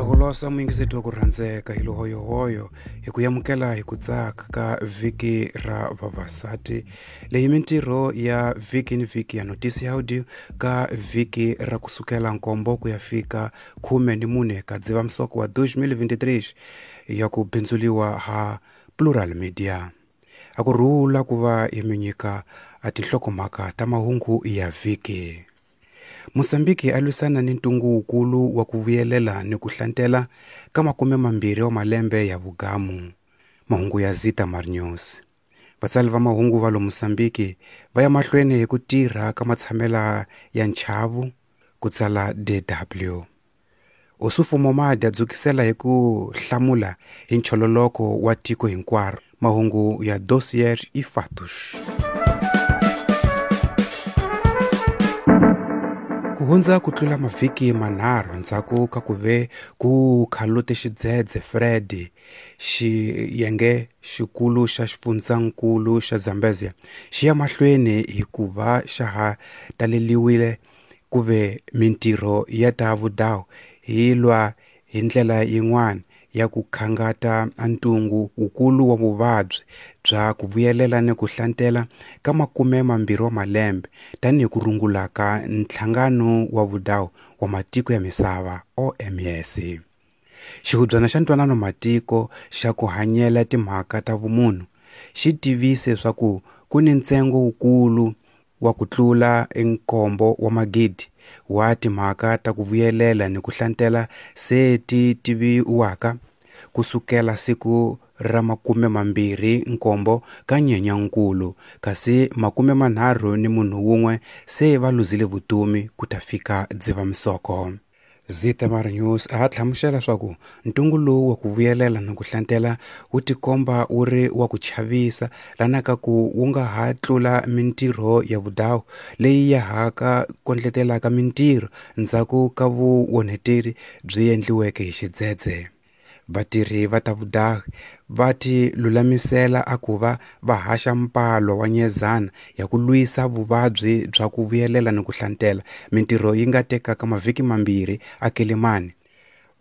Akolosa muyingiseti wa ku rhandzeka hi luhoyohoyo hi ku yamukela hi ku tsaka ka vhiki ra vavasati leyi mintirho ya vhiki ni vhiki ya notisi audio ka vhiki ra kusukela nkombo ku ya fika 14 ka Dzivamisoko wa 2023 ya ku bindzuliwa ha Plural Media. A ku rhula ku va yi mi nyika a tinhlokomhaka ta mahungu ya vhiki. Mozambique a lwisana ni ntungu wukulu wa ku vuyelela ni ku hlantela ka 20 wa malembe ya vugamu. Mahungu ya Zita Mar News. Vatsali va mahungu va lo Mozambique va ya mahlweni hi ku tirha ka matshamela ya nchavu ku tsala DW. Ossufo Momade a dzukisela hi ku hlamula hi nchololoko wa tiko hinkwaro. Mahungu ya Dossier e Fatos. Ku hundza ku tlula mavhiki manharhu ndzhaku ka ku ve ku khalute xidzedze Freddy, xiyenge xikulu xa xifundzankulu xa Zambezia xi ya mahlweni hikuva xa ha taleliwile ku ve mintirho ya ta vudawu hi lwa hi ndlela yin'wana ya ku khangata ntungu wukulu wa vuvabyi bya ku vuyelela ni ku hlantela ka 20 wa malembe tanihi ku rungula ka nhlangano wa vudawu wa matiko ya misava OMS. Xihubyana xa ntwanano matiko xa ku hanyela timhaka ta vumunhu xi tivise swa ku ku ni ntsengo wukulu wa ku tlula 7 wa magidi wa timhaka ta ku vuyelela ni ku hlantela se ti tiviwaka kusukela siku ra 27 ka Nyenyankulu, kasi 31 se va luzile vutomi ku ta fika Dzivamisoko. Zitamar News a hlamusela leswaku ntungu lowu wa ku vuyelela ni ku hlantela wu tikomba wu ri wa ku chavisa lana ka ku wu nga ha tlula mintirho ya vudawu leyi ya ha ka kondletelaka mintirho ndzhaku ka vuonheteri byi endliweke hi xidzedze. Vatirhi va ta vudahi va ti lulamisela a ku va va haxa mpalo wa nyezana ya ku lwisa vuvabyi bya ku vuyelela ni ku hlantela mintirho yi nga tekaka mavhiki mambirhi a Quelimane.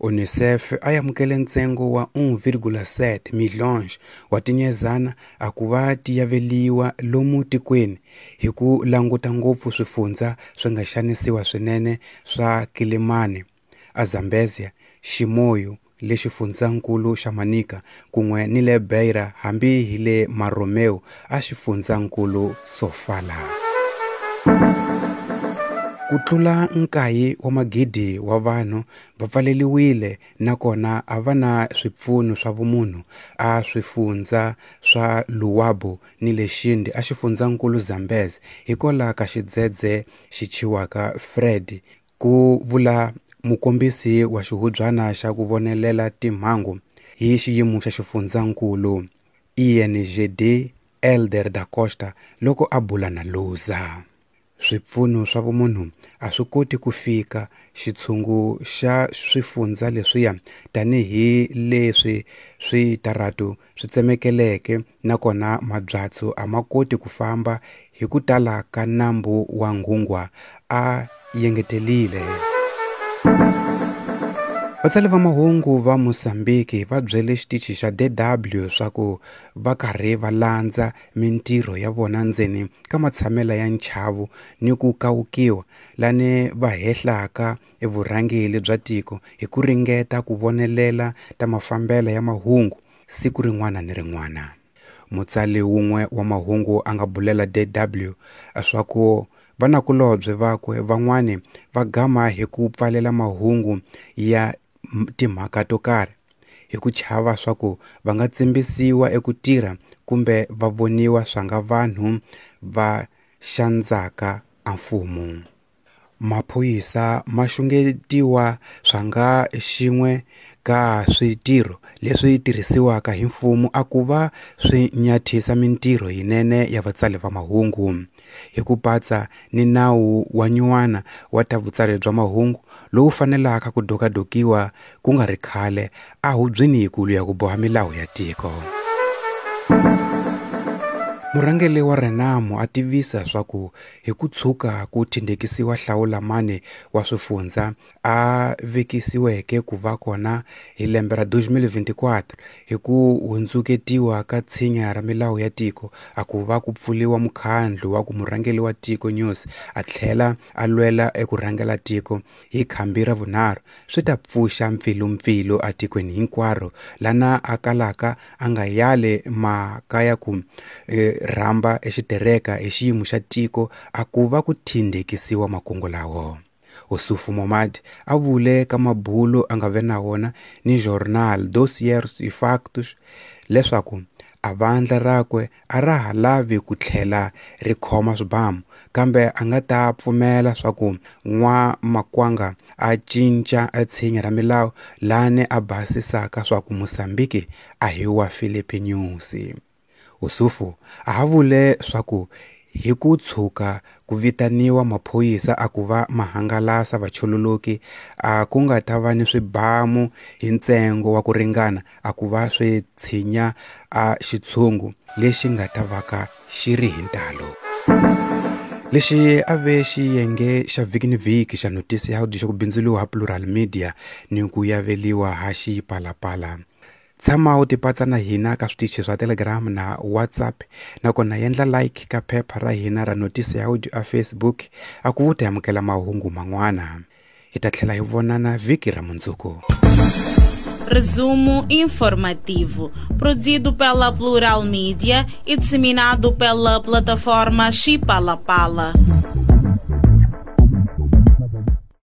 UNICEF a amukele ntsengo wa 1,7 millions wa tinyezana a ku va ti yaveliwa lomu tikweni hi ku languta ngopfu swifundza swi nga xanisiwa swinene swa Quelimane, a Zambezia, Chimoio le xifundzankulu xa Manica kun'we ni le Beira hambi hi le Marromeu a xifundzankulu Sofala. Ku tlula 9 wa magidi wa vanhu va pfaleliwile nakona a va na swipfuno swa vumunhu a swifundza swa Luabo ni le Xindi a xifundzankulu Zambezi hikwalaho ka xidzedze xi thyiwaka Freddy, ku vula mukombisi wa xihubyana xa ku vonelela timhangu hi xiyimo xa xifundzankulu INGD Elder da Costa loko a bula na Luza. Swipfuno swa vumunhu a swi koti ku fika xitshungu xa swifundza leswiya tanihi leswi switaratu swi tsemekeleke nakona mabyatso a ma koti ku famba hi ku tala ka nambu wa Nghungwa, a yengetelile. Vatsali va mahungu va Mozambique va byele xitichi xa DW swa ku va karhi va landza mintirho ya vona ndzeni ka matshamela ya nchavu ni ku kawukiwa lani va hehlaka evurhangeli bya tiko hi ku ringeta ku vonelela ta mafambelo ya mahungu siku rin'wana ni rin'wana. Mutsali wun'we wa mahungu a nga bulela DW swa ku vanakulobye vakwe van'wani va gama hi ku pfalela mahungu ya timhaka to karhi hi ku chava swa ku va nga tsimbisiwa eku tirha kumbe va voniwa swanga vanhu va xandzaka a mfumo. Maphorisa ma xungetiwa swanga xin'we ka switirho leswi tirhisiwaka hi mfumo a ku va swi nyathisa mintirho yinene ya vatsali va mahungu hi ku patsa ni nawu wa nyuwana wa ta vutsari bya mahungu lowu fanelaka ku dokadokiwa ku nga ri khale a hubyeni yikulu ya ku boha milawu ya tiko. Murhangeri wa Renamo a tivisa swa ku hi ku tshuka ku thindhekisiwa hlawulamani wa swifundza a vekisiweke ku va kona hi lembe ra 2024 hi ku hundzuketiwa ka tshinya ra milawu ya tiko a ku va ku pfuliwa mukhandlu wa ku murhangeri wa tiko Nyusi a tlhela a lwela eku rhangela tiko hi khambi ra vunharhu swi ta pfuxa mpfilumpfilu atikweni hinkwaro lana a kalaka a nga yali mhaka ya ku rhamba exitereka hi xiyimo xa tiko a ku va ku thindhekisiwa makungu lawo. Ossufo Momad a vule ka mabulo a nga ve na wona ni Jornal Dossiers e Factos leswaku a vandla rakwe a ra ha lavi ku tlhela ri khoma swibamu kambe a nga ta pfumela swa ku n'wamakwanga a cinca a tshinya ra milawu lani a basisaka swa ku Mozambique a hi wa Filipe Nyusi. Ossufo a ha vule swa ku hi ku tshuka ku vitaniwa maphorisa a ku va mahangalasa vachololoki a ku nga ta va ni swibamu hi ntsengo wa ku ringana a ku va swi tshinya a xitshungu lexi nga ta va ka xi ri hi ntalo. Lexi a ve xiyenge xa vhiki ni vhiki xa Noticiáudio xa ku bindzuliwa ha Plural Media ni ku yaveliwa ha Xipalapala. Tshama u tipatsa na hina ka switichi swa Telegram na WhatsApp nakona endla like ka phepha ra hina ra Noticiáudio a Facebook a ku ta amukela mahungu man'wana. Hi ta tlhela hi vonana vhiki ra mundzuku. Resumo informativo, produzido pela Plural Mídia e disseminado pela plataforma Xipalapala.